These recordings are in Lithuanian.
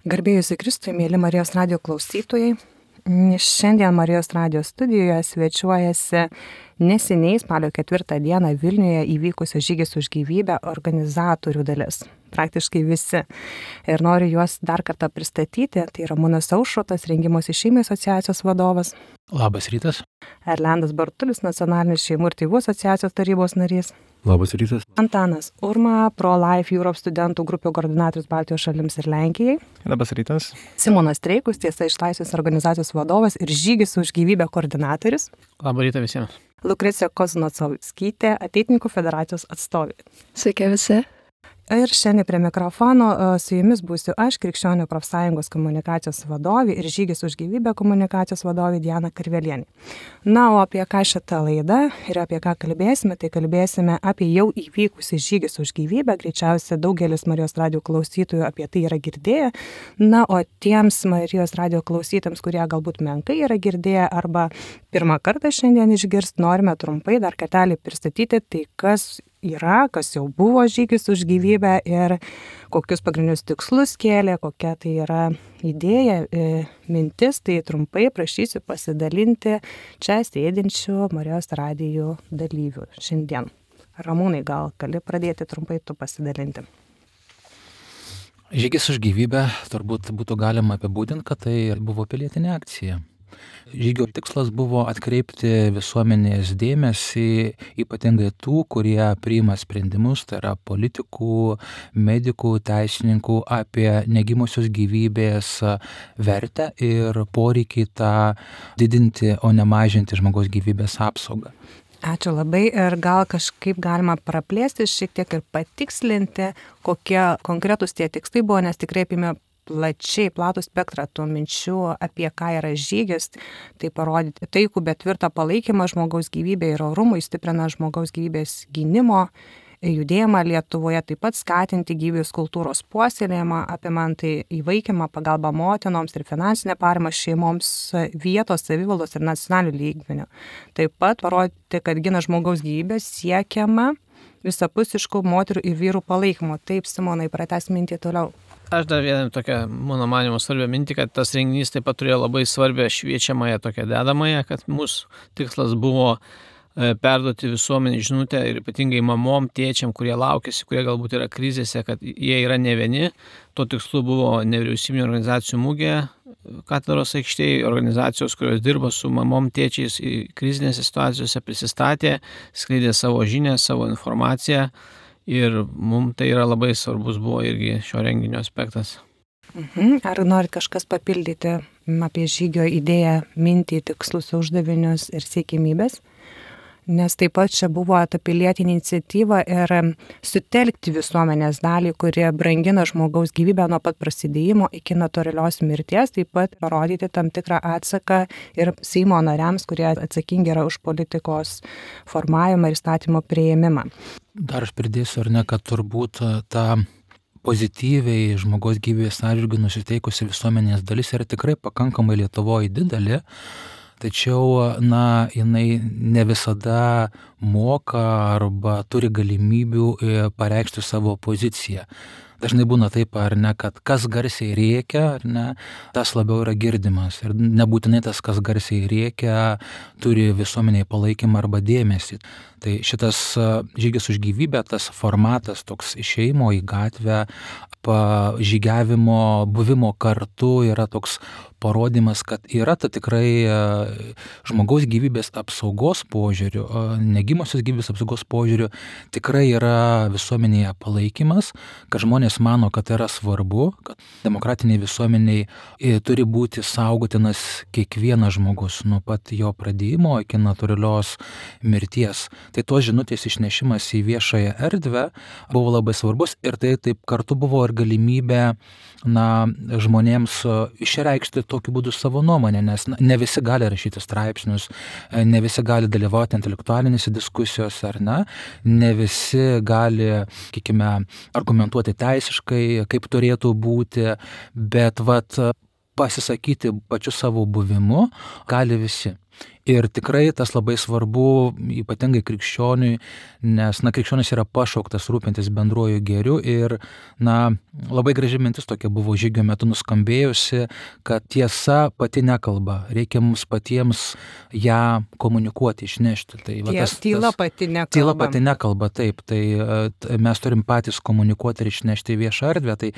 Garbėjusi Kristui, mėly Marijos radijo klausytojai, šiandien Marijos radijo studijoje svečiuojasi neseniai spalio 4 dieną Vilniuje įvykusio Žygis už gyvybę organizatorių dalis. Praktiškai visi. Ir noriu juos dar kartą pristatyti. Tai Ramūnas Aušrotas, Rengimosi šeimai asociacijos vadovas. Labas rytas. Erlendas Bartulis, Nacionalinės šeimų ir tėvų asociacijos tarybos narys. Labas rytas. Antanas Urma, Pro-Life Europe studentų grupių koordinatorius Baltijos šalims ir Lenkijai. Labas rytas. Simonas Streikus, Tiesa iš Laisvės organizacijos vadovas ir Žygis už gyvybę koordinatorius. Labą rytą visiems. Lukrecija Koznacovskytė, Ateitininkų federacijos atstovė. Sveiki visi. Ir šiandien prie mikrofono su jumis būsiu aš, Krikščionių profsąjungos komunikacijos vadovė ir Žygis už gyvybę komunikacijos vadovė Diana Karvelienė. Na, o apie ką šitą laidą ir apie ką kalbėsime, tai kalbėsime apie jau įvykusį Žygis už gyvybę. Greičiausiai daugelis Marijos radijo klausytojų apie tai yra girdėję. Na, o tiems Marijos radijo klausytams, kurie galbūt menkai yra girdėję arba pirmą kartą šiandien išgirst, norime trumpai dar kartelį pristatyti tai, kas jau buvo Žygis už gyvybę ir kokius pagrindinius tikslus kėlė, kokia tai yra idėja, mintis, tai trumpai prašysiu pasidalinti čia sėdinčių Marijos radijo dalyvių šiandien. Ramūnai, gal gali pradėti trumpai tu pasidalinti? Žygis už gyvybę turbūt būtų galima apibūdinti, kad tai buvo pilietinė akcija. Žygio tikslas buvo atkreipti visuomenės dėmesį, ypatingai tų, kurie priima sprendimus, tai yra politikų, medikų, teisininkų, apie negimusios gyvybės vertę ir poreikį tą didinti, o ne mažinti žmogaus gyvybės apsaugą. Ačiū labai ir gal kažkaip galima praplėsti šiek tiek ir patikslinti, kokie konkretūs tie tikslai buvo, nes tikrai apėmė platų spektrą tų minčių, apie ką yra žygis, tai parodyti taikų, bet tvirtą palaikymą žmogaus gyvybė ir orumui, stiprina žmogaus gyvybės gynimo judėjimą Lietuvoje, taip pat skatinti gyvybės kultūros puoselėjimą, apimant tai įvaikymą, pagalbą motinoms ir finansinę paramą šeimoms vietos, savivaldos ir nacionalinių lygmenių. Taip pat parodyti, kad gina žmogaus gyvybę siekiama visapusiškų moterų ir vyrų palaikymo. Taip, Simonai, pratęs mintį toliau. Aš dar vieną tokią, mano manymu, svarbią mintį, kad tas renginys taip pat turėjo labai svarbią šviečiamąją tokią dedamąją, kad mūsų tikslas buvo perduoti visuomenį žinutę ir ypatingai mamom, tėčiam, kurie laukiasi, kurie galbūt yra krizėse, kad jie yra ne vieni. Tuo tikslu buvo nevyriausybinių organizacijų mūgė, katedros aikštėje, organizacijos, kurios dirba su mamom, tėčiais krizinėse situacijose, prisistatė, skleidė savo žinią, savo informaciją. Ir mums tai yra labai svarbus buvo irgi šio renginio aspektas. Ar norit kažkas papildyti apie žygio idėją, mintį, tikslus, uždavinius ir siekimybės? Nes taip pat čia buvo ta pilietinė iniciatyva ir sutelkti visuomenės dalį, kurie brangina žmogaus gyvybę nuo pat prasidėjimo iki natūralios mirties, taip pat parodyti tam tikrą atsaką ir Seimo nariams, kurie atsakingi yra už politikos formavimą ir įstatymo priėmimą. Dar aš pridėsiu, ar ne, kad turbūt ta pozityviai žmogaus gyvybės atžvilgiu nusiteikusi visuomenės dalis yra tikrai pakankamai Lietuvoje didelė. Tačiau, jinai ne visada moka arba turi galimybių pareikšti savo poziciją. Dažnai būna taip, ar ne, kad kas garsiai rėkia, ar ne, tas labiau yra girdimas. Ir nebūtinai tas, kas garsiai rėkia, turi visuomeniai palaikymą arba dėmesį. Tai šitas Žygis už gyvybę, tas formatas toks išėjimo į gatvę, žygiavimo, buvimo kartu yra toks parodymas, kad yra ta tikrai žmogaus gyvybės apsaugos požiūriu, negimusios gyvybės apsaugos požiūriu, tikrai yra visuomenėje palaikymas, kad žmonės mano, kad tai yra svarbu, kad demokratiniai visuomeniai turi būti saugotinas kiekvienas žmogus nuo pat jo pradėjimo iki natūralios mirties. Tai tos žinutės išnešimas į viešąją erdvę buvo labai svarbus ir tai taip kartu buvo ir galimybė žmonėms išreikšti tokiu būdu savo nuomonę, nes ne visi gali rašyti straipsnius, ne visi gali dalyvauti intelektualinėse diskusijose, ar ne visi gali, argumentuoti teisiškai, kaip turėtų būti, bet pasisakyti pačiu savo buvimu gali visi. Ir tikrai tas labai svarbu, ypatingai krikščioniui, nes, krikščionis yra pašauktas rūpintis bendruoju gėriu ir, labai graži mintis tokia buvo žygio metu nuskambėjusi, kad tiesa pati nekalba, reikia mums patiems ją komunikuoti, išnešti. Tai, tyla pati nekalba. Tyla pati nekalba, taip, tai mes turim patys komunikuoti ir išnešti į viešą erdvę, tai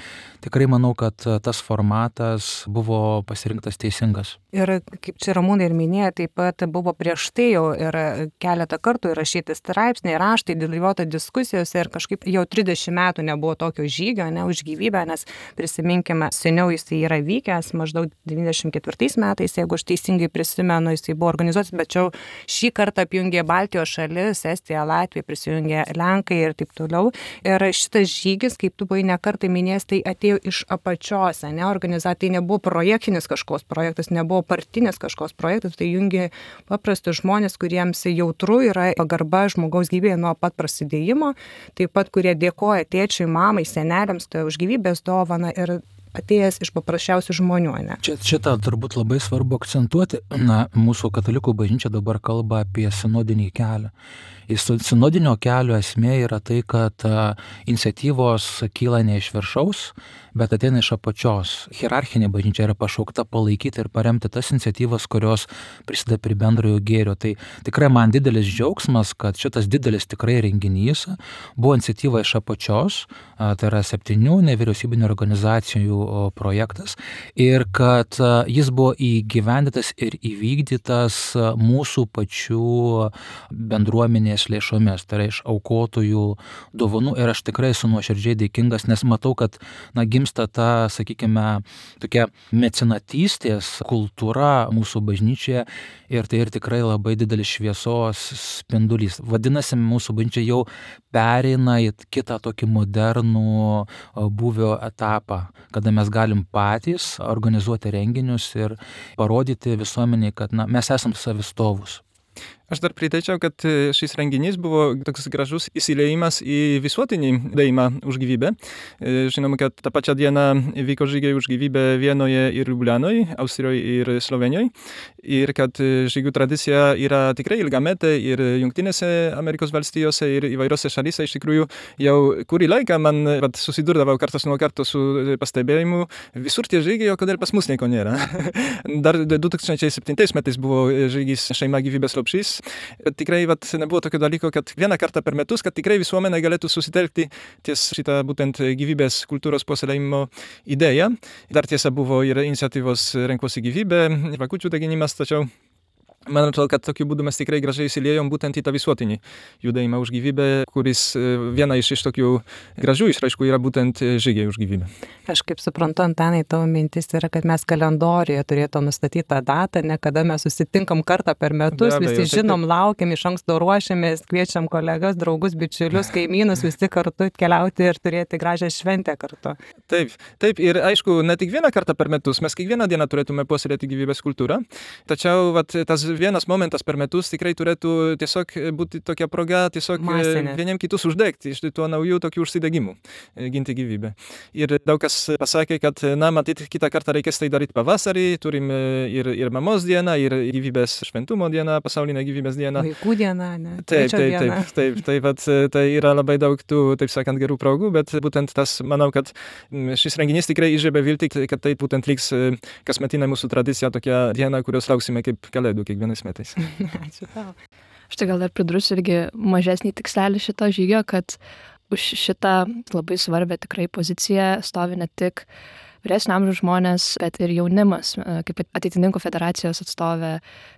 tikrai manau, kad tas formatas buvo pasirinktas teisingas. Ir kaip čia Ramūnai ir minėjo, taip pat buvo prieš tai jau ir keletą kartų įrašyti straipsniai, raštai, dalyvauta diskusijose ir kažkaip jau 30 metų nebuvo tokio žygio, už gyvybę, nes prisiminkime, seniau jis yra vykęs, maždaug 94 metais, jeigu aš teisingai prisimenu, jis buvo organizuotas, bet čia šį kartą apjungė Baltijos šalis, Estija, Latvija, prisijungė Lenkai ir taip toliau. Ir šitas žygis, kaip tu buvai nekartą minėjęs, tai atėjo iš apačios, organizacija, tai nebuvo projektinis kažkoks projektas, nebuvo partinis kažkoks projektas, tai jungia paprastus žmonės, kuriems jautru yra pagarba žmogaus gyvybėje nuo pat prasidėjimo, taip pat kurie dėkoja tėčiui, mamai, seneliams už gyvybės dovaną ir atėjęs iš paprasčiausių žmonių, Šitą turbūt labai svarbu akcentuoti. Mūsų katalikų bažnyčia dabar kalba apie sinodinį kelią. Sinodinio kelio esmė yra tai, kad iniciatyvos kyla ne iš viršaus, bet ateina iš apačios. Hierarchinė bažnyčia yra pašaukta palaikyti ir paremti tas iniciatyvas, kurios prisideda prie bendrojo gėrio. Tai tikrai man didelis džiaugsmas, kad šitas didelis tikrai renginys buvo iniciatyva iš apačios, tai yra 7 nevyriausybinių organizacijų projektas ir kad jis buvo įgyvendintas ir įvykdytas mūsų pačių bendruomenės lėšomis, tai yra iš aukotojų dovanų ir aš tikrai esu nuoširdžiai dėkingas, nes matau, kad gimsta ta, sakykime, tokia mecenatystės kultūra mūsų bažnyčioje ir tai ir tikrai labai didelis šviesos spindulys. Vadinasi, mūsų bažnyčia jau pereina į kitą tokį modernų būvio etapą, kada mes galim patys organizuoti renginius ir parodyti visuomeniai, kad mes esam savistovus. Aš dar pridėčiau, kad šis renginys buvo toks gražus įsiliejimas į visuotinį judėjimą už gyvybę. Žinoma, kad tą pačią dieną vyko žygiai už gyvybę Vienoje ir Liublianoje, Austrijoje ir Slovenijoje. Ir kad žygių tradicija yra tikrai ilgametė ir Jungtinėse Amerikos valstijose ir įvairiose šalyse. Iš tikrųjų, jau kurį laiką man susidurdavau kartas nuo karto su pastebėjimu, visur tie žygiai, o kodėl pas mus nieko nėra. Dar 2007 metais buvo žygis Šeima gyvybės lopšys. Tikrai nebuvo tokio dalyko, kad vieną kartą per metus, kad tikrai visuomenė galėtų susitelkti ties šitą būtent gyvybės kultūros puoselėjimo idėją. Dar tiesa buvo ir iniciatyvos Renkuosi gyvybę, žvakučių deginimas, tačiau man atrodo, kad tokiu būdu mes tikrai gražiai įsiliejom būtent į tą visuotinį judėjimą už gyvybę, kuris viena iš tokių gražių išraiškų yra būtent žygiai už gyvybę. Aš kaip suprantu, Antanai, tavo mintis yra, kad mes kalendorijoje turėtume nustatytą datą, ne kada mes susitinkam kartą per metus, visi žinom, laukiam, iš anksto ruošiamės, kviečiam kolegas, draugus, bičiulius, kaimynus visi kartu keliauti ir turėti gražią šventę kartu. Taip, ir aišku, ne tik vieną kartą per metus, mes kiekvieną dieną turėtume puoselėti gyvybės kultūrą, tačiau tas vienas momentas per metus tikrai turėtų tiesiog būti tokia proga tiesiog vieniem kitus uždegti iš tų naujų tokių užsidegimų, ginti gyvybę. Ir daug kas pasakė, kad matyt, kitą kartą reikės tai daryti pavasarį, turim ir mamos dieną, ir gyvybės šventumo dieną, pasaulinę gyvybės dieną. Vaikų dieną, ne? Taip, tai yra labai daug tų, taip sakant, gerų progų, bet būtent tas, manau, kad šis renginys tikrai įžiebė viltį, kad tai būtent liks kasmetinė mūsų tradicija, tokia diena, kurios lauksime kaip kalėdų kiekvienais metais. Ačiū tau. Aš tai gal dar pridursiu irgi mažesnį tikslelį šito žygio, kad už šitą labai svarbę tikrai poziciją stovi ne tik vyresnio amžiaus žmonės, bet ir jaunimas. Kaip Ateitininkų federacijos atstovė,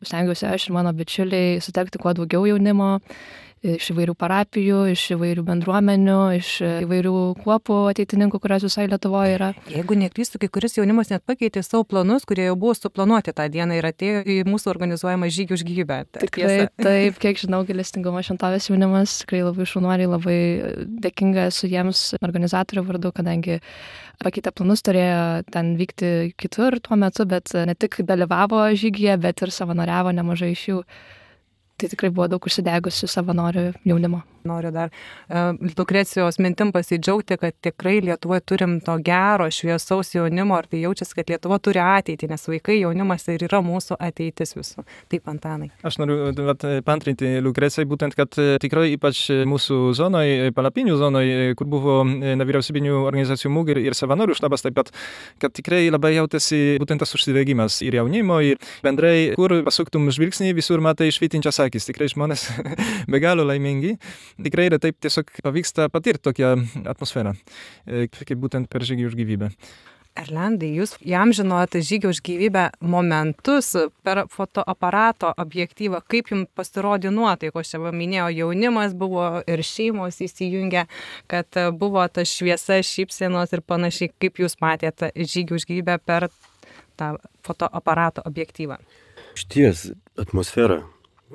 stengiuosi aš ir mano bičiuliai sutelkti kuo daugiau jaunimo iš įvairių parapijų, iš įvairių bendruomenių, iš įvairių kuopų ateitininkų, kurios visai Lietuvoje yra. Jeigu neklystu, kai kuris jaunimas net pakeitė savo planus, kurie jau buvo suplanuoti tą dieną ir atėjo į mūsų organizuojamą žygį už gyvybę. Tikrai, taip, kiek žinau, Gailestingumo šventovės jaunimas, tikrai labai šaunuoliai, labai dėkinga esu jiems organizatorių vardu, kadangi pakeitę planus turėjo ten vykti kitur tuo metu, bet ne tik dalyvavo žygyje, bet ir savanoriavo nemažai iš jų. Tai tikrai buvo daug užsidegusių savanorių jaunimo. Noriu dar Lukrecijos mintim pasidžiaugti, kad tikrai Lietuvoje turim to gero, šviesaus jaunimo ir tai jaučiasi, kad Lietuva turi ateitį, nes vaikai, jaunimas ir yra mūsų ateitis visų. Taip, Antanai. Aš noriu paantrinti Lukrecijai, būtent, kad tikrai ypač mūsų zonoj, palapinių zonoj, kur buvo nevyriausybinių organizacijų MUG ir savanorių štabas, taip pat, kad tikrai labai jautėsi būtent tas užsidegimas ir jaunimo, ir bendrai, kur pasuktum žvilgsnį, visur matai švytinčias akis. Tikrai žmonės be galo laimingi. Tikrai yra taip tiesiog pavyksta patirti tokią atmosferą, kaip būtent per žygį už gyvybę. Erlandai, jūs įamžinot žygį už gyvybę momentus per fotoaparato objektyvą. Kaip jums pasirodė nuotaikos? Čia minėjo, jaunimas buvo ir šeimos įsijungę, kad buvo ta šviesa, šypsenos ir panašiai. Kaip jūs matėte žygį už gyvybę per tą fotoaparato objektyvą? Šties atmosfera,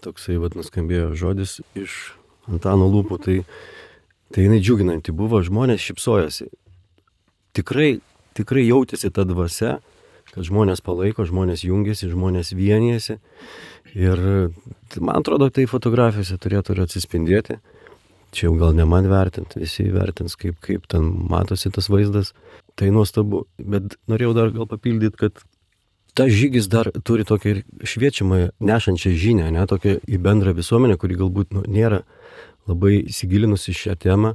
toksai nuskambėjo žodis iš Antano lūpų, tai jinai džiuginanti buvo, žmonės šypsojosi. Tikrai jautėsi ta dvasia, kad žmonės palaiko, žmonės jungiasi, žmonės vienijasi. Ir man atrodo, tai fotografijose turėtų ir atsispindėti. Čia jau gal ne man vertinti, visi vertins, kaip ten matosi tas vaizdas. Tai nuostabu. Bet norėjau dar gal papildyti, kad tas žygis dar turi tokią šviečiamą nešančią žinią, ne, tokią į bendrą visuomenę, kuri galbūt nėra labai įsigilinusi šią temą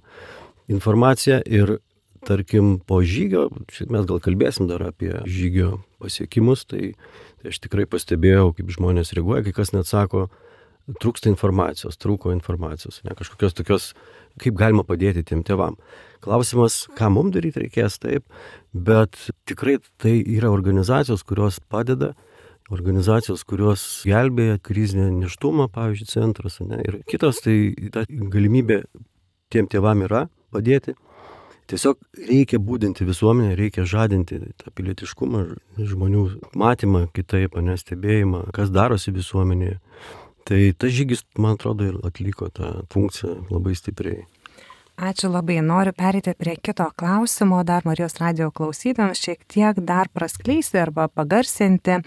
informaciją. Ir tarkim po žygio, mes gal kalbėsim dar apie žygio pasiekimus, tai aš tikrai pastebėjau, kaip žmonės reaguoja, kai kas net sako, trūksta informacijos, trūko informacijos, ne, kažkokios tokios, kaip galima padėti tiem tėvam. Klausimas, ką mums daryti reikės, taip, bet tikrai tai yra organizacijos, kurios padeda, organizacijos, kurios gelbėja krizinę nėštumą, pavyzdžiui, centras, ne, ir kitos, tai ta galimybė tiem tėvam yra padėti. Tiesiog reikia būdinti visuomenę, reikia žadinti tą pilietiškumą, žmonių matymą kitaip, stebėjimą, kas darosi visuomenėje. Tai tas žygis, man atrodo, ir atliko tą funkciją labai stipriai. Ačiū labai. Noriu pereiti prie kito klausimo, dar Marijos radijo klausytojams šiek tiek dar praskleisti arba pagarsinti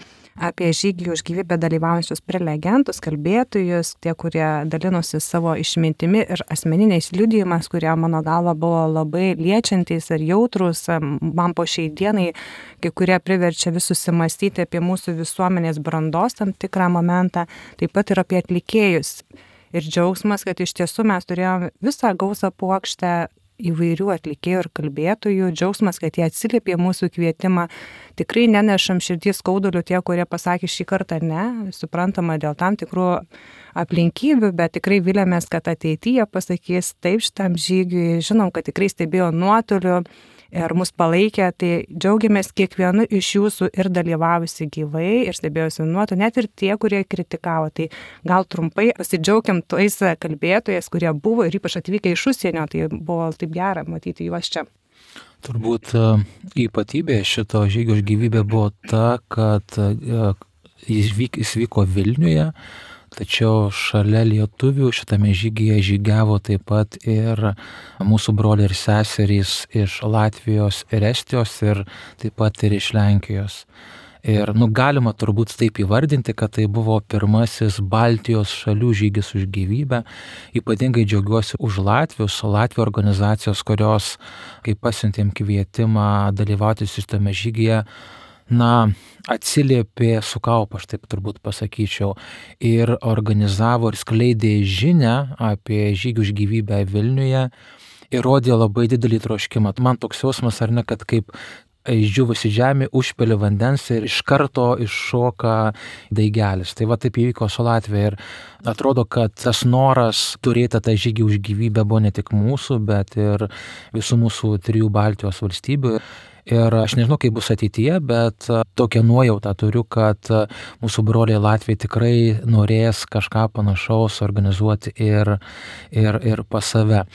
apie žygį už gyvybę dalyvaujančius prelegentus, kalbėtojus, tie, kurie dalinosi savo išmintimi ir asmeniniais liudijimas, kurie mano galva buvo labai liečiantys ir jautrus. Man po šiai dienai kai kurie priverčia vis susimastyti apie mūsų visuomenės brandos tam tikrą momentą, taip pat ir apie atlikėjus. Ir džiaugsmas, kad iš tiesų mes turėjome visą gausą puokštę įvairių atlikėjų ir kalbėtojų. Džiaugsmas, kad jie atsiliepė mūsų kvietimą. Tikrai nenešam širdys skaudulių tie, kurie pasakė šį kartą ne. Suprantama, dėl tam tikrų aplinkybių, bet tikrai vilėmės, kad ateityje pasakys taip šitam žygiui. Žinom, kad tikrai stebėjo nuotoliu ir mus palaikė, tai džiaugiamės kiekvienu iš jūsų ir dalyvavusi gyvai ir stebėjusi nuotoliu, net ir tie, kurie kritikavo. Tai gal trumpai pasidžiaugiam tais kalbėtojais, kurie buvo ir ypač atvykę iš užsienio, tai buvo taip gera matyti juos čia. Turbūt ypatybė šito žygio už gyvybę buvo ta, kad jis vyko Vilniuje, tačiau šalia lietuvių šitame žygyje žygiavo taip pat ir mūsų broliai ir seserys iš Latvijos ir Estijos ir taip pat ir iš Lenkijos. Ir galima turbūt taip įvardinti, kad tai buvo pirmasis Baltijos šalių žygis už gyvybę. Ypatingai džiaugiuosi už Latvių organizacijos, kurios, kai pasiuntėm kvietimą dalyvauti šitame žygyje, atsiliepė su kaupu, aš taip turbūt pasakyčiau, ir organizavo ir skleidė žinią apie žygį už gyvybę Vilniuje ir rodė labai didelį troškimą. Man toks jausmas, ar ne, kad kaip išdžiūvusi žemė užpili vandens ir iš karto iššoka daigelis. Tai va taip įvyko su Latvija ir atrodo, kad tas noras turėti tą žygį už gyvybę buvo ne tik mūsų, bet ir visų mūsų 3 Baltijos valstybių. Ir aš nežinau, kaip bus ateityje, bet tokią nuojautą turiu, kad mūsų broliai Latvijai tikrai norės kažką panašaus organizuoti ir pas save.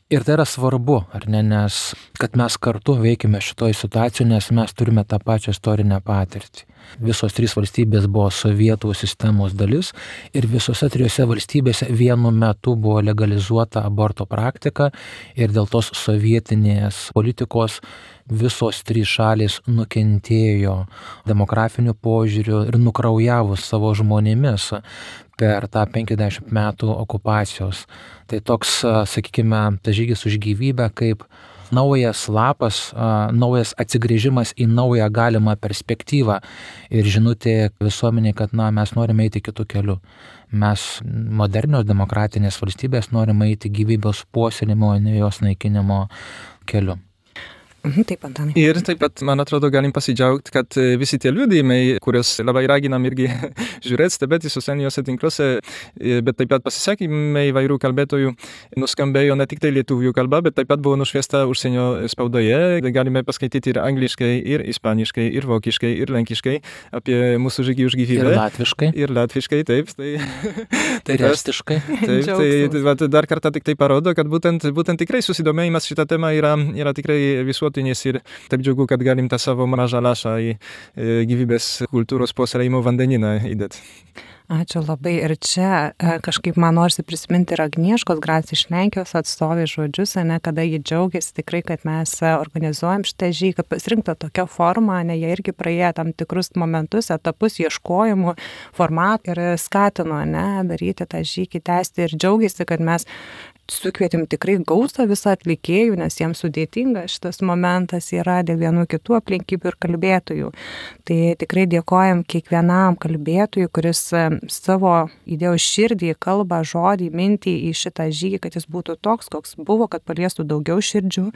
Ir tai yra svarbu, ar ne, nes kad mes kartu veikime šitoje situacijoje, nes mes turime tą pačią istorinę patirtį. Visos 3 valstybės buvo sovietų sistemos dalis ir visose 3 valstybėse vienu metu buvo legalizuota aborto praktika ir dėl tos sovietinės politikos visos 3 šalys nukentėjo demografiniu požiūriu ir nukraujavo savo žmonėmis per tą 50 metų okupacijos. Tai toks, sakykime, tas žygis už gyvybę kaip naujas lapas, naujas atsigrįžimas į naują galimą perspektyvą ir žinutė visuomeniai, kad mes norime eiti kitų kelių. Mes modernios demokratinės valstybės norime eiti gyvybės puoselėjimo, ne jos naikinimo keliu. Taip, Antanai. Ir taip pat, man atrodo, galim pasidžiaugti, kad visi tie liudijimai, kuriuos labai raginam irgi žiūrėti, stebėti socialiniuose tinkluose, bet taip pat pasisakymai įvairių kalbėtojų nuskambėjo ne tik tai lietuvių kalba, bet taip pat buvo nušviesta užsienio spaudoje. Galime paskaityti ir angliškai, ir ispaniškai, ir vokiškai, ir lenkiškai apie mūsų žygį už gyvybę. Ir latviškai. Ir latviškai, taip. Ir estiškai. Taip, tai dar kartą tik tai parodo, kad būtent tikrai susidomėjimas šitą temą yra tikrai visuotinis ir taip džiugu, kad galim tą savo mažą lašą į gyvybės kultūros puoselėjimo vandenyną įdėti. Ačiū labai. Ir čia kažkaip man norisi prisiminti ir Agnieškos Grac iš Lenkijos atstovės žodžius, kada jie džiaugiasi tikrai, kad mes organizuojam šitą žygį, kad pasirinkta tokia forma, jie irgi praėjo tam tikrus momentus, etapus ieškojimų, formatų ir skatino daryti tą žygį, tęsti ir džiaugiasi, kad mes sukvietėm tikrai gausą visą atlikėjų, nes jiems sudėtinga šitas momentas yra dėl vienų kitų aplinkybių ir kalbėtojų. Tai tikrai dėkojam kiekvienam kalbėtojui, kuris savo įdėjo širdį, kalbą, žodį, mintį į šitą žygį, kad jis būtų toks, koks buvo, kad paliestų daugiau širdžių.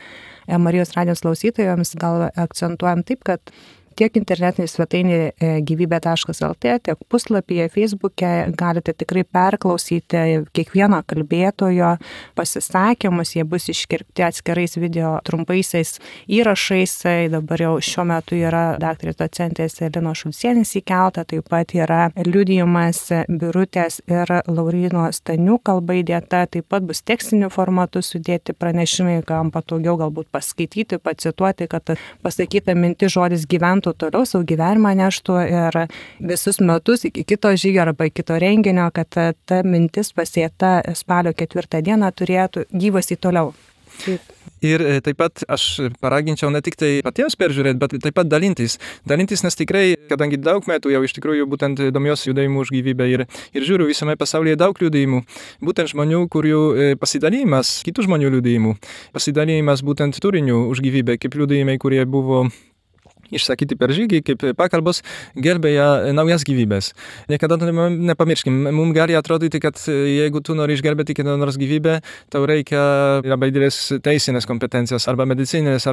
Marijos radijos klausytojams gal akcentuojam taip, kad tiek internetinė svetainė gyvybė.lt, tiek puslapyje, Facebook'e galite tikrai perklausyti kiekvieno kalbėtojo pasisakymus, jie bus iškirpti atskirais video trumpaisiais įrašais. Dabar jau šiuo metu yra daktarės docentės Linos Šulcienės įkelta, taip pat yra liudijimas Birutės ir Lauryno Stanių kalba įdėta, taip pat bus tekstiniu formatu sudėti pranešimai, kam patogiau galbūt paskaityti, pacituoti, kad pasakyta mintis žodis gyventų toliau savo gyvenimą neštų ir visus metus iki kito žygio arba kito renginio, kad ta mintis pasėta spalio 4 dieną turėtų gyvasti toliau. Ir taip pat aš paraginčiau ne tik tai patiems peržiūrėti, bet taip pat dalintis. Dalintis, nes tikrai, kadangi daug metų jau iš tikrųjų būtent domiuosi judėjimu už gyvybę ir žiūriu visame pasaulyje daug liudijimų, būtent žmonių, kurių pasidalijimas, kitų žmonių liudijimų, pasidalijimas būtent turiniu už gyvybę, kaip liudijimai, kurie buvo išsakyti per žygį, kaip pakalbos gelbėja naujas gyvybės. Niekada nepamirškim, mums gali atrodyti, kad jeigu tu nori išgelbėti kieno nors gyvybę, tau reikia labai didelės teisinės kompetencijos arba medicininės,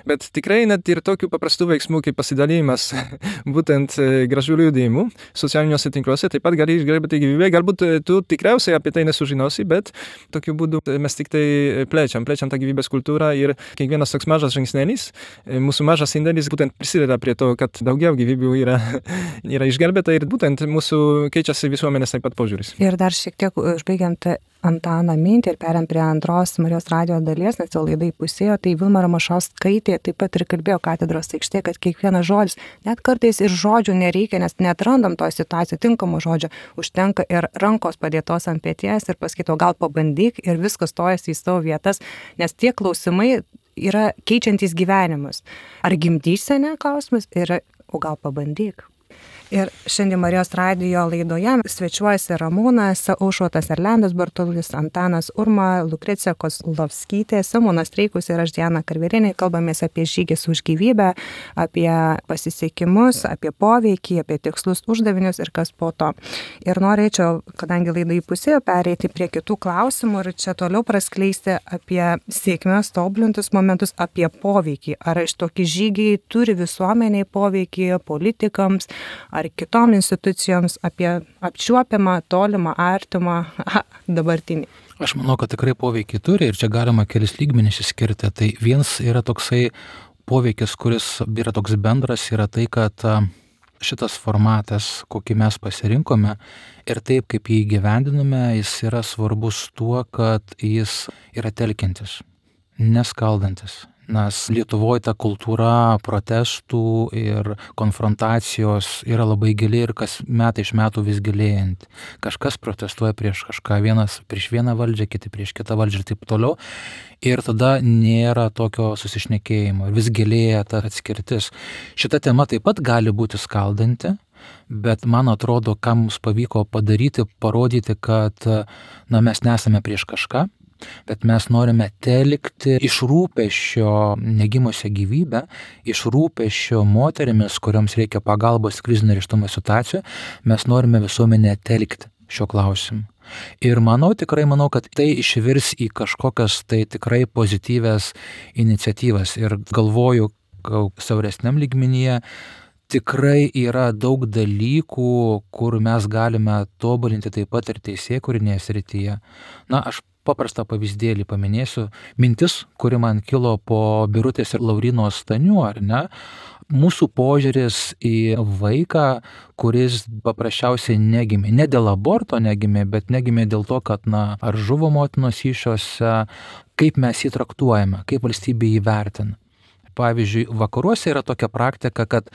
bet tikrai net ir tokių paprastų veiksmų kaip pasidalijimas būtent gražių liudijimų socialiniuose tinkluose taip pat gali išgelbėti gyvybę. Galbūt tu tikriausiai apie tai nesužinosi, bet tokiu būdu mes tik tai plečiam tą gyvybės kultūrą ir kiekvienas toks mažas žingsnelis, mūsų mažas indėlis būtent prisideda prie to, kad daugiau gyvybių yra išgelbėta ir būtent mūsų keičiasi visuomenės taip pat požiūris. Ir dar šiek tiek užbaigiant Antano mintį ir periant prie antros Marijos radijo dalies, nes jau laidai pusėjo, tai Vilma Ramašauskaitė taip pat ir kalbėjo katedros aikštė, kad kiekvienas žodis, net kartais ir žodžių nereikia, nes neatrandam to situaciją tinkamo žodžio, užtenka ir rankos padėtos ant peties ir pasakyto gal pabandyk ir viskas stojasi į savo vietas, nes tie klausimai yra keičiantys gyvenimus. Ar gimdysenė klausimas yra, o gal pabandyk. Ir šiandien Marijos radijo laidoje svečiuojasi Ramūnas Aušrotas Erlendas Bartulis, Antanas Urma, Lukrecija Kozlovskytė, Simonas Streikus ir aš Diana Karvelienė. Kalbamės apie žygis už gyvybę, apie pasisekimus, apie poveikį, apie tikslus uždavinius ir kas po to. Ir norėčiau, kadangi laidai pusėjo, pereiti prie kitų klausimų ir čia toliau praskleisti apie sėkmės tobulintus momentus, apie poveikį. Ar iš tokie žygiai turi visuomeniai poveikį, politikams, ar kitom institucijoms, apie apčiuopiamą, tolimą, artimą, dabartinį. Aš manau, kad tikrai poveikį turi ir čia galima kelis lygmenis išskirti. Tai vienas yra toksai poveikis, kuris yra toks bendras, yra tai, kad šitas formatas, kokį mes pasirinkome ir taip, kaip jį įgyvendiname, jis yra svarbus tuo, kad jis yra telkiantis, neskaldantis, Nes Lietuvoje ta kultūra protestų ir konfrontacijos yra labai gili ir kas metai iš metų vis gilėjanti. Kažkas protestuoja prieš kažką, vienas prieš vieną valdžią, kiti prieš kitą valdžią ir taip toliau. Ir tada nėra tokio susišnekėjimo, vis gilėja ta atskirtis. Šita tema taip pat gali būti skaldanti, bet man atrodo, ką mums pavyko padaryti, parodyti, kad mes nesame prieš kažką, bet mes norime telkti iš rūpesčio negimusią gyvybę, iš rūpesčio moterimis, kuriams reikia pagalbos krizinio nėštumo situacijoje, mes norime visuomenę telkti šio klausimu. Ir manau, kad tai išvirs į kažkokias tai tikrai pozityvias iniciatyvas. Ir galvoju, siauresniam lygmenyje tikrai yra daug dalykų, kur mes galime tobulinti taip pat ir teisėkūrinėje srityje. Aš paprastą pavyzdėlį paminėsiu. Mintis, kuri man kilo po Birutės ir Lauryno Stanių, ar ne? Mūsų požiūris į vaiką, kuris paprasčiausiai negimė. Ne dėl aborto negimė, bet negimė dėl to, kad ar žuvo motinos įsčiose, kaip mes jį traktuojame, kaip valstybė jį vertina. Pavyzdžiui, vakaruose yra tokia praktika, kad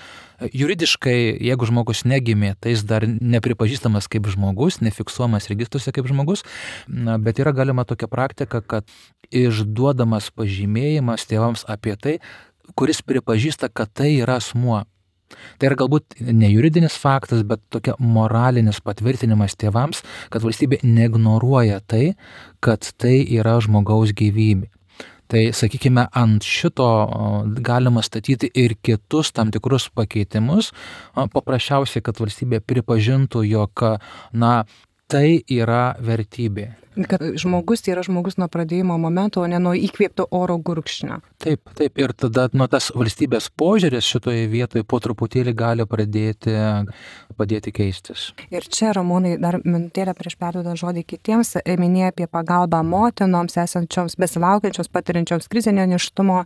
juridiškai, jeigu žmogus negimė, tai jis dar nepripažįstamas kaip žmogus, nefiksuojamas registruose kaip žmogus, bet yra galima tokia praktika, kad išduodamas pažymėjimas tėvams apie tai, kuris pripažįsta, kad tai yra asmuo. Tai yra galbūt ne juridinis faktas, bet tokia moralinis patvirtinimas tėvams, kad valstybė neignoruoja tai, kad tai yra žmogaus gyvybė. Tai, sakykime, ant šito galima statyti ir kitus tam tikrus pakeitimus, paprasčiausiai, kad valstybė pripažintų, jog, tai yra vertybė. Kad žmogus yra žmogus nuo pradėjimo momento, o ne nuo įkvėpto oro gurkšnio. Taip. Ir tada tas valstybės požiūris šitoje vietoje po truputėlį gali padėti keistis. Ir čia, Ramūnai, dar minutėlę prieš perduodant žodį kitiems, minėjo apie pagalbą motinoms, esančioms, besilaukiančioms, patiriančioms krizinio nėštumo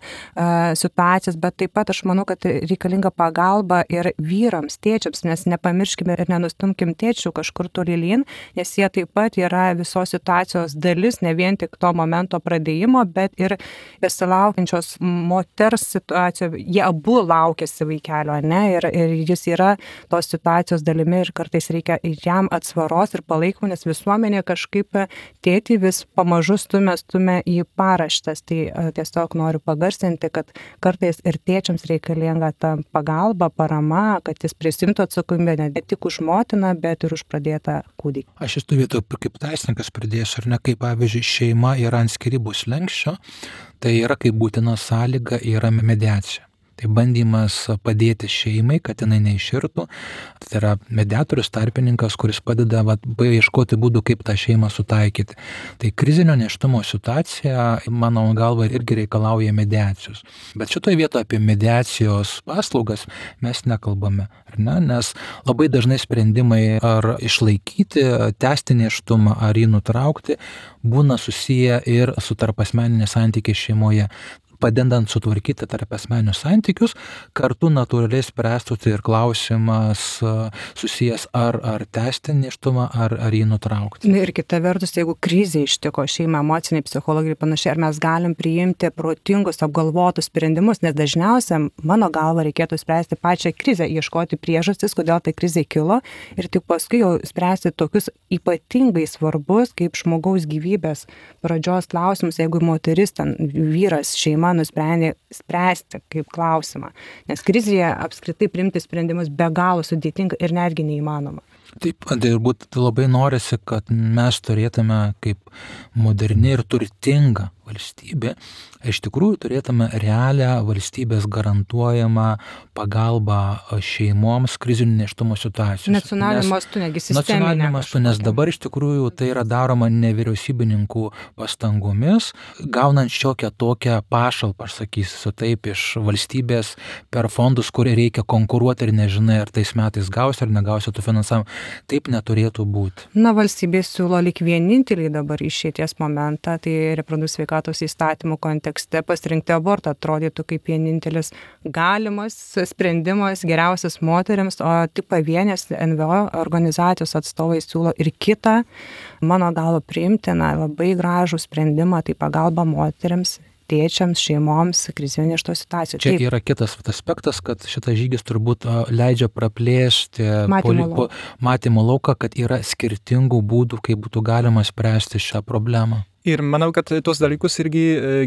situacijas, bet taip pat aš manau, kad reikalinga pagalba ir vyrams, tėčiams, nes nepamirškime ir nenustumkim tėčių kažkur tolyn, nes jie taip pat yra visos situacijos dalis, ne vien tik to momento pradėjimo, bet ir besilaukiančios moters situacijoje, jie abu laukiasi vaikelio, ne, ir jis yra tos situacijos dalimi ir kartais reikia jam atsvaros ir palaikymo, nes visuomenė kažkaip tėtį vis pamažu stumia į paraštes. Tai tiesiog noriu pagarsinti, kad kartais ir tėčiams reikalinga ta pagalba, parama, kad jis prisimtų atsakomybę ne tik už motiną, bet ir už pradėtą kūdikį. Aš esu vietoje kaip teisininkas pridėsiu, ar ne, kaip pavyzdžiui šeima yra ant skyrybų slenksčio, tai yra kaip būtina sąlyga yra mediacija. Tai bandymas padėti šeimai, kad jinai neiširtų. Tai yra mediatorius, tarpininkas, kuris padeda ieškoti būdų, kaip tą šeimą sutaikyti. Tai krizinio nėštumo situacija, mano galva, irgi reikalauja mediacijos. Bet šitoje vietoje apie mediacijos paslaugas mes nekalbame, ar ne? Nes labai dažnai sprendimai ar išlaikyti, tęsti nėštumą, ar jį nutraukti, būna susiję ir su tarpasmeniniais santykiais šeimoje. Padedant sutvarkyti tarpasmeninius santykius, kartu natūraliai spręstųsi ir klausimas susijęs ar tęsti nėštumą, ar jį nutraukti. Ir kita vertus, jeigu krizė ištiko šeimą, emociniai, psichologiniai panašiai, ar mes galim priimti protingus, apgalvotus sprendimus, nes dažniausiai, mano galva, reikėtų spręsti pačią krizę, ieškoti priežastis, kodėl tai krizė kilo ir tik paskui jau spręsti tokius ypatingai svarbus, kaip žmogaus gyvybės pradžios klausimus, jeigu moteris, vyras, šeima nusprendė spręsti kaip klausimą. Nes krizėje apskritai priimti sprendimus be galo sudėtinga ir netgi neįmanoma. Taip, turbūt labai norisi, kad mes turėtume kaip moderni ir turtinga valstybė, iš tikrųjų turėtume realią valstybės garantuojamą pagalbą šeimoms krizinio nėštumo situacijose. Nacionaliniu mastu, negi sisteminė. Nacionaliniu mastu, nes dabar iš tikrųjų tai yra daroma nevyriausybininkų pastangomis, gaunant šiokią tokią pašalpą, aš sakysiu taip, iš valstybės per fondus, kurie reikia konkuruoti ir nežinai, ar tais metais gausi ar negausi tų finansavimų. Taip neturėtų būti. Valstybė siūlo lyg vienintelį dabar išeities momentą, tai reprodukcinės sveikatos įstatymų kontekste pasirinkti abortą atrodytų kaip vienintelis galimas sprendimas geriausias moteriams, o tik pavienės NVO organizacijos atstovai siūlo ir kitą, mano galva priimtiną, labai gražų sprendimą, tai pagalba moteriams tėčiams, šeimoms krizinė iš to situacijų. Čia yra kitas aspektas, kad šitas žygis turbūt leidžia praplėsti matymo lauką, kad yra skirtingų būdų, kaip būtų galima spręsti šią problemą. Ir manau, kad tos dalykus irgi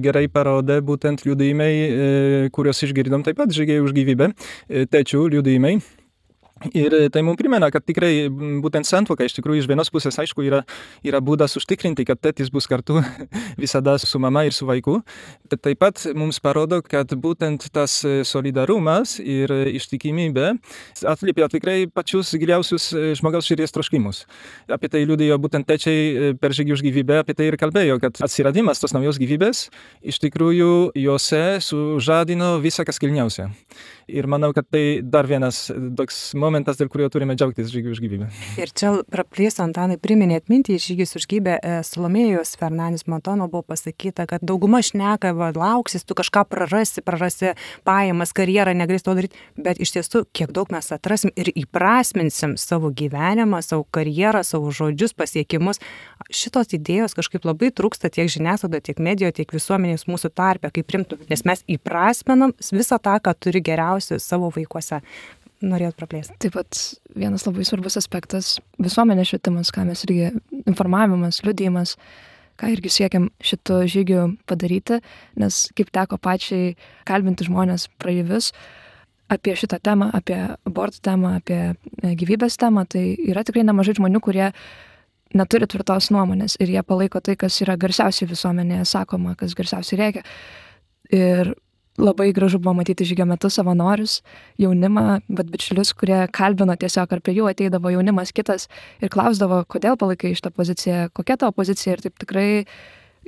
gerai parodė būtent liudijimai, kuriuos išgirdom taip pat žygiai už gyvybę, tėčių liudijimai. Ir tai mums primena, kad tikrai būtent santuoka iš tikrųjų iš vienos pusės, aišku, yra būdas užtikrinti, kad tėtis bus kartu visada su mama ir su vaiku. Bet taip pat mums parodo, kad būtent tas solidarumas ir ištikimybė atliepia tikrai pačius giliausius žmogaus širdies troškimus. Apie tai liudijo būtent tėčiai per žygį už gyvybę, apie tai ir kalbėjo, kad atsiradimas tos naujos gyvybės iš tikrųjų juose sužadino visą kas kilniausia. Ir manau, kad tai dar vienas toks momentas, dėl kurio turime džiaugtis žygių už gyvybę. Ir čia praplėsiu, Antanai, priminėt mintį, žygis už gyvybę Salomėjos Fernandės Montono buvo pasakyta, kad dauguma šneka, lauksis, tu kažką prarasi pajamas, karjerą, negalės to daryti, bet iš tiesų, kiek daug mes atrasim ir įprasminsim savo gyvenimą, savo karjerą, savo žodžius, pasiekimus. Šitos idėjos kažkaip labai trūksta tiek žiniasklaidoje, tiek medijoje, tiek visuomenės mūsų tarpe, kaip primtų, nes mes įprasminam visą tą, ką turi geriausia savo vaikuose. Norėjot praplėsti. Taip pat vienas labai svarbus aspektas - visuomenės švietimas, ką mes irgi informavimas, liudijimas, ką irgi siekiam šito žygiu padaryti, nes kaip teko pačiai kalbinti žmonės praeivius apie šitą temą, apie abortų temą, apie gyvybės temą, tai yra tikrai nemažai žmonių, kurie neturi tvirtos nuomonės ir jie palaiko tai, kas yra garsiausiai visuomenėje sakoma, kas garsiausiai reikia. Ir labai gražu buvo matyti žygio metu savanorius, jaunimą, bet bičiulius, kurie kalbino tiesiog, ar prie jų ateidavo jaunimas kitas ir klausdavo, kodėl palaikai šitą poziciją, kokia tavo pozicija, ir taip tikrai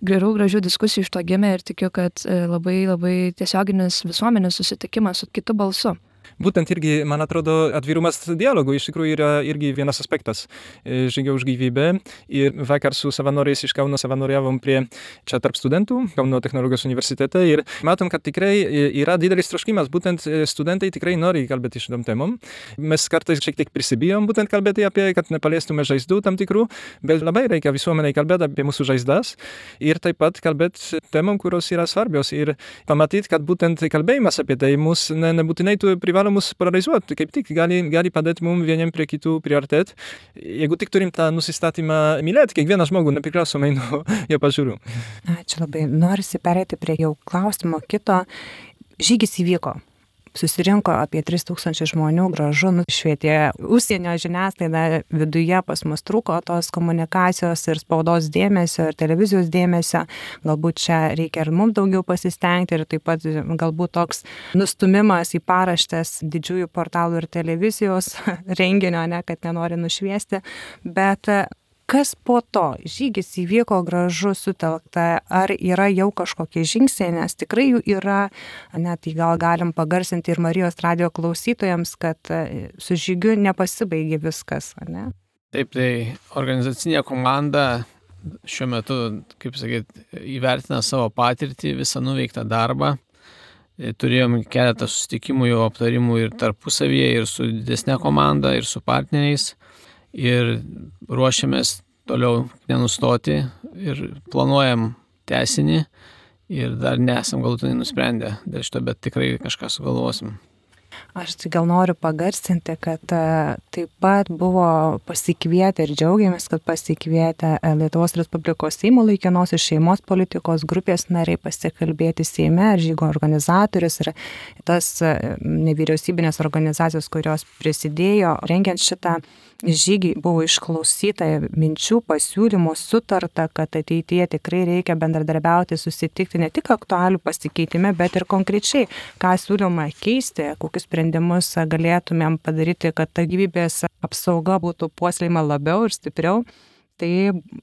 gerų, gražių diskusijų iš to gimė ir tikiu, kad labai, labai tiesioginis visuomenės susitikimas su kitu balsu. Būtent irgi, man atrodo, atvirumas dialogų iš tikrųjų yra irgi vienas aspektas žygio už gyvybę. Ir vakar su savanoriais iš Kauno savanoriavom čia tarp studentų Kauno technologijos universitete ir matom, kad tikrai yra didelis troškimas, būtent studentai tikrai nori kalbėti šitom temom. Mes kartais šiek tiek prisibijom būtent kalbėti apie, kad nepaliestume žaizdų tam tikrų, bet labai reikia visuomeniai kalbėti apie mūsų žaizdas ir taip pat kalbėti temom, kurios yra svarbios ir pamatyti, kad būtent kalbėjimas apie tai mus nebūtinai tu privalo mus polarizuoti, kaip tik gali padėti mums vieniem prie kitų priartėti, jeigu tik turim tą nusistatymą mylėti kiekvieną žmogų, nepriklausomai nuo jo pažiūrų. Ačiū labai. Norisi pereiti prie jau klausimo kito. Žygis įvyko. Susirinko apie 3000 žmonių, gražu, nušvietė užsienio žiniasklaida, viduje pas mus trūko tos komunikacijos ir spaudos dėmesio, ir televizijos dėmesio. Galbūt čia reikia ir mums daugiau pasistengti ir taip pat galbūt toks nustumimas į paraštes didžiųjų portalų ir televizijos renginio, kad nenori nušviesti. Bet kas po to? Žygis įvyko, gražu, sutelkta, ar yra jau kažkokie žingsniai, nes tikrai jų yra, net gal galim pagarsinti ir Marijos radijo klausytojams, kad su žygiu nepasibaigė viskas, ne? Taip, tai organizacinė komanda šiuo metu, kaip sakyti, įvertina savo patirtį, visą nuveiktą darbą. Turėjom keletą susitikimų, jau aptarimų ir tarpusavyje, ir su didesnė komanda, ir su partneriais. Ir ruošiamės toliau nenustoti ir planuojam tęsinį ir dar nesam galutinai nusprendę dėl šito, bet tikrai kažką sugalvosim. Aš tai gal noriu pagarsinti, kad taip pat buvo pasikvietę ir džiaugiamės, kad pasikvietę Lietuvos Respublikos Seimo laikinosios šeimos politikos grupės nariai pasikalbėti Seime, žygo organizatorius ir tas nevyriausybinės organizacijos, kurios prisidėjo rengiant šitą žygį, buvo išklausyta minčių, pasiūlymų, sutarta, kad ateityje tikrai reikia bendradarbiauti, susitikti ne tik aktualių pasikeitime, bet ir konkrečiai, ką siūloma keisti, kokius sprendimus galėtumėm padaryti, kad ta gyvybės apsauga būtų puoselėjama labiau ir stipriau. Tai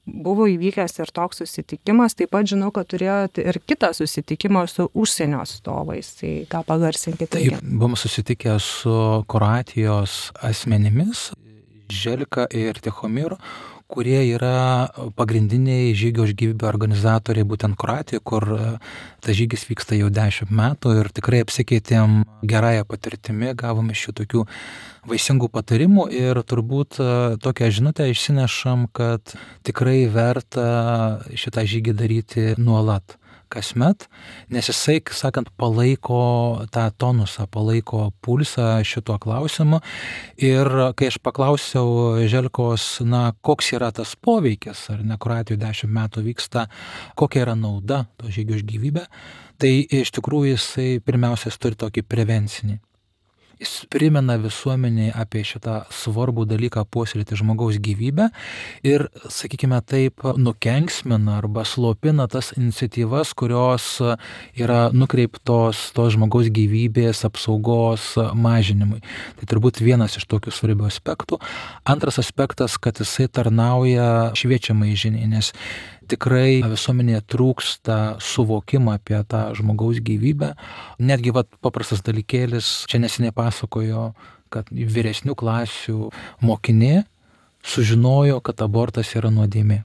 buvo įvykęs ir toks susitikimas, taip pat žinau, kad turėjote ir kitą susitikimą su užsienio atstovais, tai ką pagarsinkite. Taip, buvom susitikę su Kroatijos asmenimis, Želka ir Tichomiru, kurie yra pagrindiniai žygio už gyvybę organizatoriai būtent Kroatijoje, kur tas žygis vyksta jau 10 metų ir tikrai apsikeitėm gerąją patirtimi, gavome šių tokių vaisingų patarimų ir turbūt tokią žinutę išsinešam, kad tikrai verta šitą žygį daryti nuolat. kasmet, nes jisai, sakant, palaiko tą tonusą, palaiko pulsą šituo klausimu. Ir kai aš paklausiau Želkos, koks yra tas poveikis, ar ne, Kroatijoje 10 metų vyksta, kokia yra nauda to žygio už gyvybę, tai iš tikrųjų jisai pirmiausia turi tokį prevencinį. Jis primena visuomeniai apie šitą svarbų dalyką puoselėti žmogaus gyvybę ir, sakykime taip, nukenksmina arba slopina tas iniciatyvas, kurios yra nukreiptos tos žmogaus gyvybės apsaugos mažinimui. Tai turbūt vienas iš tokių svarbių aspektų. Antras aspektas, kad jisai tarnauja šviečiamai žiniai, nes tikrai visuomenėje trūksta suvokimo apie tą žmogaus gyvybę. Netgi paprastas dalykėlis, čia neseniai pasakojo, kad vyresnių klasių mokinė sužinojo, kad abortas yra nuodėmė.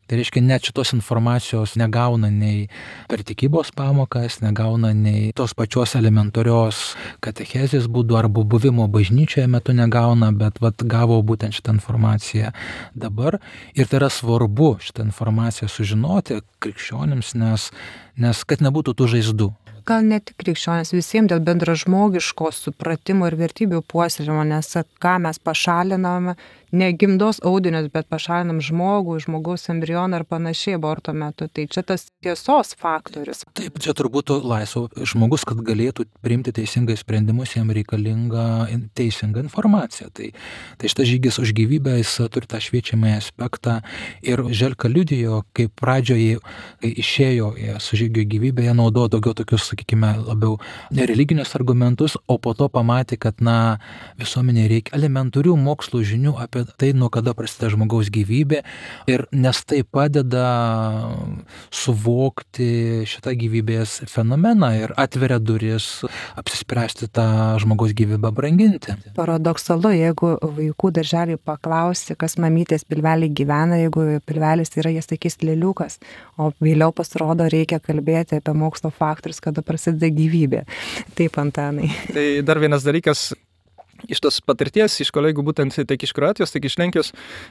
Tai reiškia, net šitos informacijos negauna nei per tikybos pamokas, negauna nei tos pačios elementarios katechezės būdų arba buvimo bažnyčioje metu negauna, bet gavo būtent šitą informaciją dabar. Ir tai yra svarbu šitą informaciją sužinoti krikščionims, nes kad nebūtų tų žaizdų. Gal ne tik krikščionys, visiems dėl bendražmogiško supratimo ir vertybių puoselėjimo, nes ką mes pašaliname, ne gimdos audinius, bet pašalinam žmogaus embrioną ar panašiai aborto metu. Tai čia tas tiesos faktorius. Taip, čia turbūt laisvo žmogus, kad galėtų priimti teisingai sprendimus, jam reikalinga teisinga informacija. Tai šitas žygis už gyvybę, jis turi tą šviečiamąjį aspektą. Ir Želka liudijo, kai pradžioje, kai išėjo su žygiu gyvybę, jie naudojo daugiau tokius, sakykime, labiau religinius argumentus, o po to pamatė, kad visuomenė reikia elementarių mokslo žinių apie tai, nuo kada prasideda žmogaus gyvybė, ir nes tai padeda suvokti šitą gyvybės fenomeną ir atveria duris apsispręsti tą žmogaus gyvybę branginti. Paradoksalu, jeigu vaikų darželį paklausi, kas mamytės pilvelį gyvena, jeigu pilvelis yra, jie sakys lėliukas, o vėliau pasirodo reikia kalbėti apie mokslo faktorius, kada prasideda gyvybė. Taip, Antanai. Tai dar vienas dalykas, iš tos patirties, iš kolegų būtent tiek iš Kroatijos, tiek iš Lenkijos,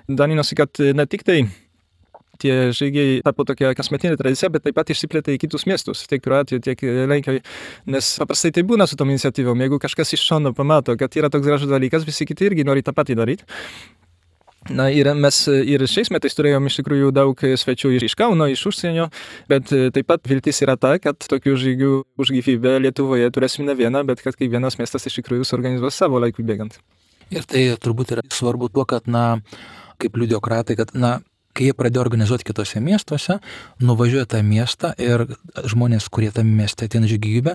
dalinosi, kad ne tik tai tie žygiai tapo tokia kasmetinė tradicija, bet taip pat išsiplėtė į kitus miestus, tiek Kroatijoje, tiek Lenkijoje, nes paprastai tai būna su tom iniciatyvom, jeigu kažkas iš šono pamato, kad yra toks gražus dalykas, visi kiti irgi nori tą patį daryti. Ir mes ir šiais metais turėjom iš tikrųjų daug svečių iš Kauno, iš užsienio, bet taip pat viltis yra ta, kad tokių žygių už gyvybę Lietuvoje turėsim ne vieną, bet kad kiekvienas miestas iš tikrųjų suorganizuos savo laikui bėgant. Ir tai turbūt yra svarbu tuo, kad, kaip liudijo Kroatai, kad, kai jie pradėjo organizuoti kitose miestuose, nuvažiuoja tą miestą ir žmonės, kurie tame mieste ateina žygį gyvybę,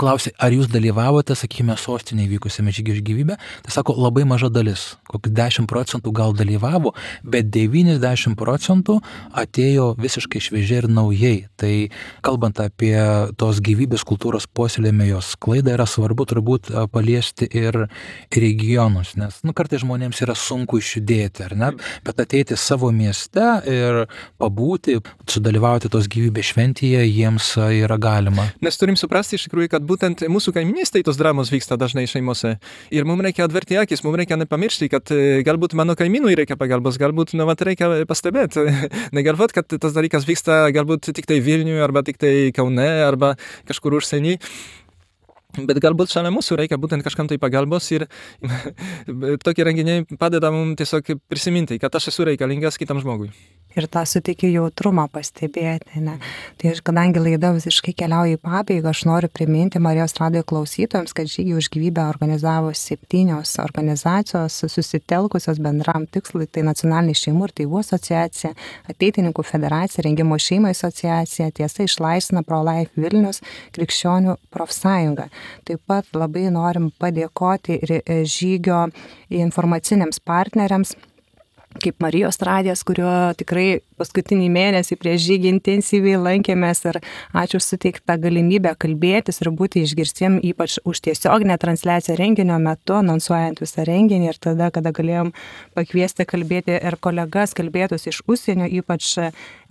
klausė, ar jūs dalyvavote, sakykime, sostinėje vykusiame žygį gyvybę. Tai sako, labai maža dalis, kokį 10% gal dalyvavo, bet 90% atėjo visiškai šviežiai ir naujai. Tai kalbant apie tos gyvybės kultūros puoselėjimą, jos sklaidą, yra svarbu turbūt paliesti ir regionus, nes kartais žmonėms yra sunku išjudėti, ar ne, bet ateiti savo mieste ir pabūti, sudalyvauti tos gyvybės šventėje, jiems yra galima. Nes turim suprasti iš tikrųjų, kad būtent mūsų kaiminystėje tos dramos vyksta dažnai šeimose. Ir mums reikia atverti akis, mums reikia nepamiršti, kad galbūt mano kaimynui reikia pagalbos, galbūt reikia pastebėti. Negalvot, kad tas dalykas vyksta galbūt tik tai Vilniuje, arba tik tai Kaune, arba kažkur užsieny. Bet galbūt šalia mūsų reikia būtent kažkam tai pagalbos ir tokie renginiai padeda mums tiesiog prisiminti, kad aš esu reikalingas kitam žmogui. Ir tą suteikia jautrumą pastebėti. Ne? Tai aš, kadangi laida visiškai keliauja į pabaigą, aš noriu priminti Marijos radijo klausytojams, kad žygį už gyvybę organizavo 7 organizacijos susitelkusios bendram tikslui, tai Nacionalinė šeimų ir tėvų asociacija, Ateitininkų federacija, Rengimo šeimai asociacija, Tiesa išlaisvina Pro-Life Vilnius, Krikščionių profsąjunga. Taip pat labai norim padėkoti ir žygio informaciniams partneriams, kaip Marijos radijas, kurio tikrai paskutinį mėnesį prieš žygį intensyviai lankėmės, ir ačiū suteiktą galimybę kalbėtis ir būti išgirstiem, ypač už tiesioginę transliaciją renginio metu, anonsuojant visą renginį, ir tada, kada galėjom pakviesti kalbėti ir kolegas kalbėtus iš užsienio, ypač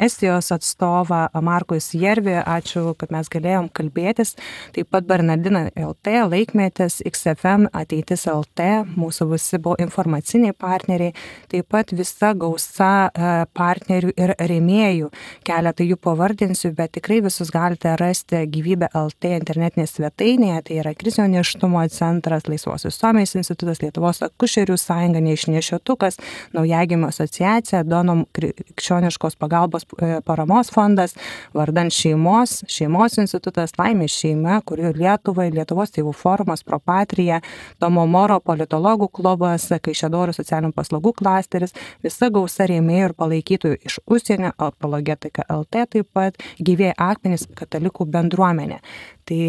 Estijos atstovą Markus Järvi, ačiū, kad mes galėjom kalbėtis, taip pat Bernardina LT, Laikmetis, XFM, Ateitis LT, mūsų visi buvo informaciniai partneriai, taip pat visa gausa partnerių ir rėmėjų. Keletą jų pavardinsiu, bet tikrai visus galite rasti Gyvybė LT internetinėje svetainėje. Tai yra Krizinio nėštumo centras, Laisvos visuomenės institutas, Lietuvos akušerių sąjunga, Neišnešiotukas, Naujagimio asociacija, Donom krikščioniškos pagalbos paramos fondas, Vardan šeimos institutas, Laimės šeima, kurių Lietuvai, Lietuvos tėvų forumas, Propatrija, Tomo Moro politologų klubas, Kaišiadorių socialinių paslaugų klasteris, visa gausa rėmėjų ir palaikytojų iš užsienio, Apologetika LT taip pat, Gyvieji akmenys katalikų bendruomenė. Tai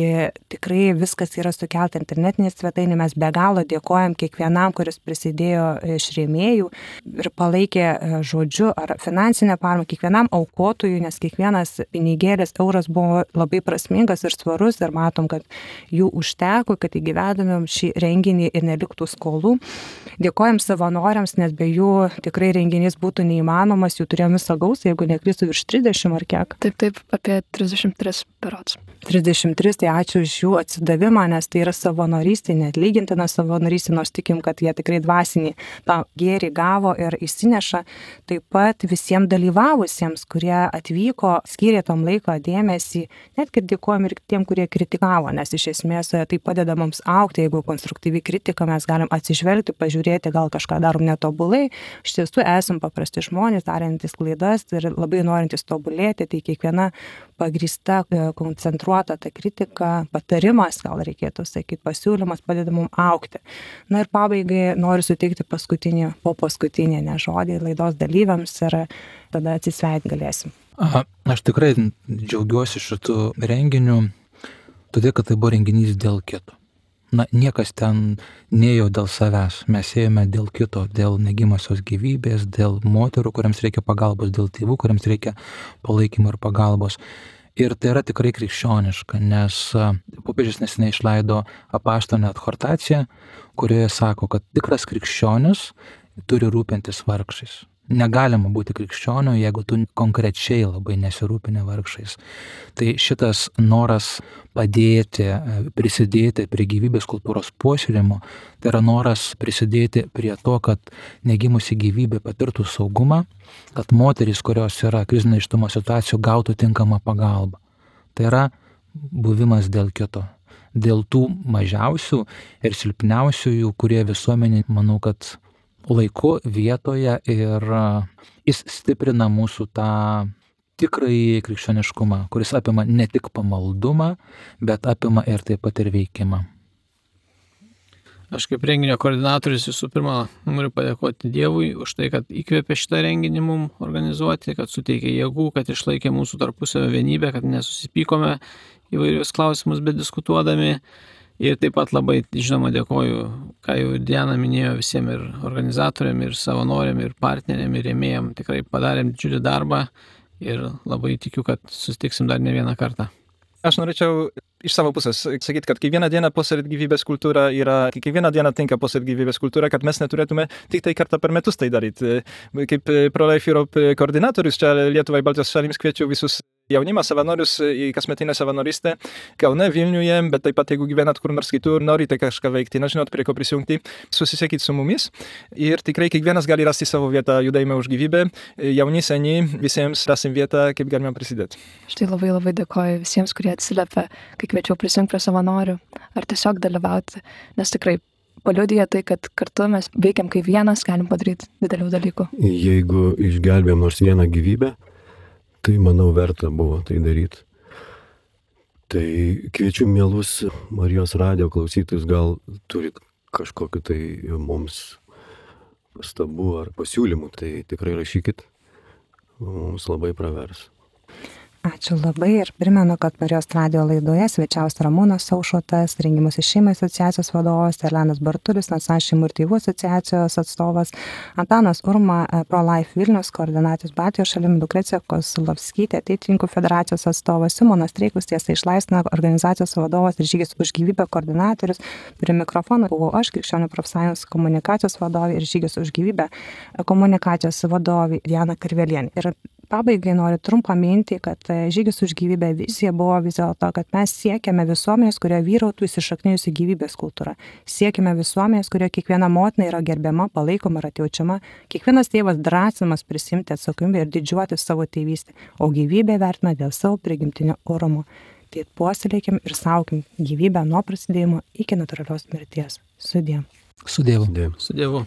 tikrai viskas yra sukelta internetinėje svetainėje. Mes be galo dėkojam kiekvienam, kuris prisidėjo iš rėmėjų ir palaikė žodžiu ar finansinę paramą, kiekvienam aukotojui, nes kiekvienas pinigėlis, euras buvo labai prasmingas ir svarus ir matom, kad jų užteko, kad įgyvendinam šį renginį ir neliktų skolų. Dėkojam savanoriams, nes be jų tikrai renginys būtų neįmanomas, jų turėjom visą gausą, jeigu neklystu virš 30 ar kiek. Taip, apie 33 berods. 33, tai ačiū už jų atsidavimą, nes tai yra savanorystė, neatlygintina savanorystė, nors tikim, kad jie tikrai dvasinį tą gėrį gavo ir įsineša. Taip pat visiems dalyvavusiems, kurie atvyko, skyrė tom laiko dėmesį, netgi dėkojam ir tiem, kurie kritikavo, nes iš esmės tai padeda mums augti, jeigu konstruktyvi kritika mes galim atsižvelgti, pažiūrėti, gal kažką darom netobulai. Iš tiesų esam paprasti žmonės, darantys klaidas ir labai norintys tobulėti, tai kiekviena pagrįsta, koncentruota ta kritika, patarimas, gal reikėtų sakyti, pasiūlymas padeda mums augti. Na ir pabaigai noriu suteikti paskutinį žodį laidos dalyviams ir tada atsisveikinti galėsim. Aš tikrai džiaugiuosi šitų renginių, todėl kad tai buvo renginys dėl kito. Niekas ten neėjo dėl savęs, mes ėjome dėl kito, dėl negimosios gyvybės, dėl moterų, kuriams reikia pagalbos, dėl tėvų, kuriams reikia palaikymo ir pagalbos. Ir tai yra tikrai krikščioniška, nes popiežius neseniai išleido apaštalinę adhortaciją, kurioje sako, kad tikras krikščionis turi rūpintis vargšais. Negalima būti krikščioniu, jeigu tu konkrečiai labai nesirūpini vargšais. Tai šitas noras padėti, prisidėti prie gyvybės kultūros puoselėjimo, tai yra noras prisidėti prie to, kad negimusi gyvybė patirtų saugumą, kad moterys, kurios yra krizinio nėštumo situacijų, gautų tinkamą pagalbą. Tai yra buvimas dėl kito, dėl tų mažiausių ir silpniausiųjų, kurie visuomenė, manau, kad laiku, vietoje ir jis stiprina mūsų tą tikrąjį krikščioniškumą, kuris apima ne tik pamaldumą, bet apima ir taip pat ir veikimą. Aš kaip renginio koordinatorius visų pirma noriu padėkoti Dievui už tai, kad įkvėpė šitą renginį mums organizuoti, kad suteikė jėgų, kad išlaikė mūsų tarpusavio vienybę, kad nesusipykome įvairius klausimus bediskutuodami. Ir taip pat labai, žinoma, dėkoju, ką jau Diana minėjo, visiems ir organizatoriam, ir savanoriam, ir partneriam, ir rėmėjam. Tikrai padarėm didžiulį darbą ir labai tikiu, kad susitiksim dar ne vieną kartą. Aš norėčiau iš savo pusės sakyti, kad kiekvieną dieną puoselėti gyvybės kultūrą kiekvieną dieną tinka puoselėti gyvybės kultūrą, kad mes neturėtume tik tai kartą per metus tai daryti. Kaip Pro-Life Europe koordinatorius čia Lietuvai Baltijos šalims kviečiu visus jaunimą, savanorius į kasmetinę savanorystę Kaune, Vilniuje, bet taip pat jeigu gyvenat kur nors kitur, norite kažką veikti, nežinot prie ko prisijungti, susisiekit su mumis ir tikrai kiekvienas gali rasti savo vietą judėjime už gyvybę, jauni, seni, visiems rasim vietą, kaip galime prisidėti. Štai labai dėkoju visiems, kurie atsiliepia, kai kviečiau prisijungti prie savanorių ar tiesiog dalyvauti, nes tikrai paliudija tai, kad kartu mes veikiam kaip vienas, galim padaryti didelių dalykų. Jeigu išgelbėjom nors vieną gyvybę, tai manau verta buvo tai daryti. Tai kviečiu mielus Marijos radijo klausytojus, gal turit kažkokiu tai mums pastabų ar pasiūlymų, tai tikrai rašykit, mums labai pravers. Ačiū labai ir primenu, kad Marijos radijo laidoje svečiavosi Ramūnas Aušrotas, Rengimuose šeimai asociacijos vadovas, Erlenas Bartulis, Nacionalinės šeimų ir tėvų asociacijos atstovas, Antanas Urma, Pro-Life Vilnius koordinatorius Baltijos šalim, Lukrecija Kosulovskytė, Ateitininkų federacijos atstovas, Simonas Streikus, Tiesa išlaisvina organizacijos vadovas ir Žygis už gyvybę koordinatorius. Prie mikrofono buvau aš, Krikščionių profsąjungos komunikacijos vadovė ir Žygis už gyvybę komunikacijos vadovė Diana Karvelienė. Ir pabaigai noriu trumpą mintį, kad žygis už gyvybę vizija buvo vis dėlto, kad mes siekiame visuomenės, kurioje vyrautų įsišaknijusi gyvybės kultūra. Siekiame visuomenės, kurioje kiekviena motina yra gerbiama, palaikoma ir atjaučiama, kiekvienas tėvas drąsinamas prisimti atsakomybę ir didžiuotis savo tėvystę, o gyvybę vertina dėl savo prigimtinio orumo. Tai puoselėkim ir saukim gyvybę nuo prasidėjimo iki natūralios mirties. Sudie. Su Dievu. Dėm. Su Dievu.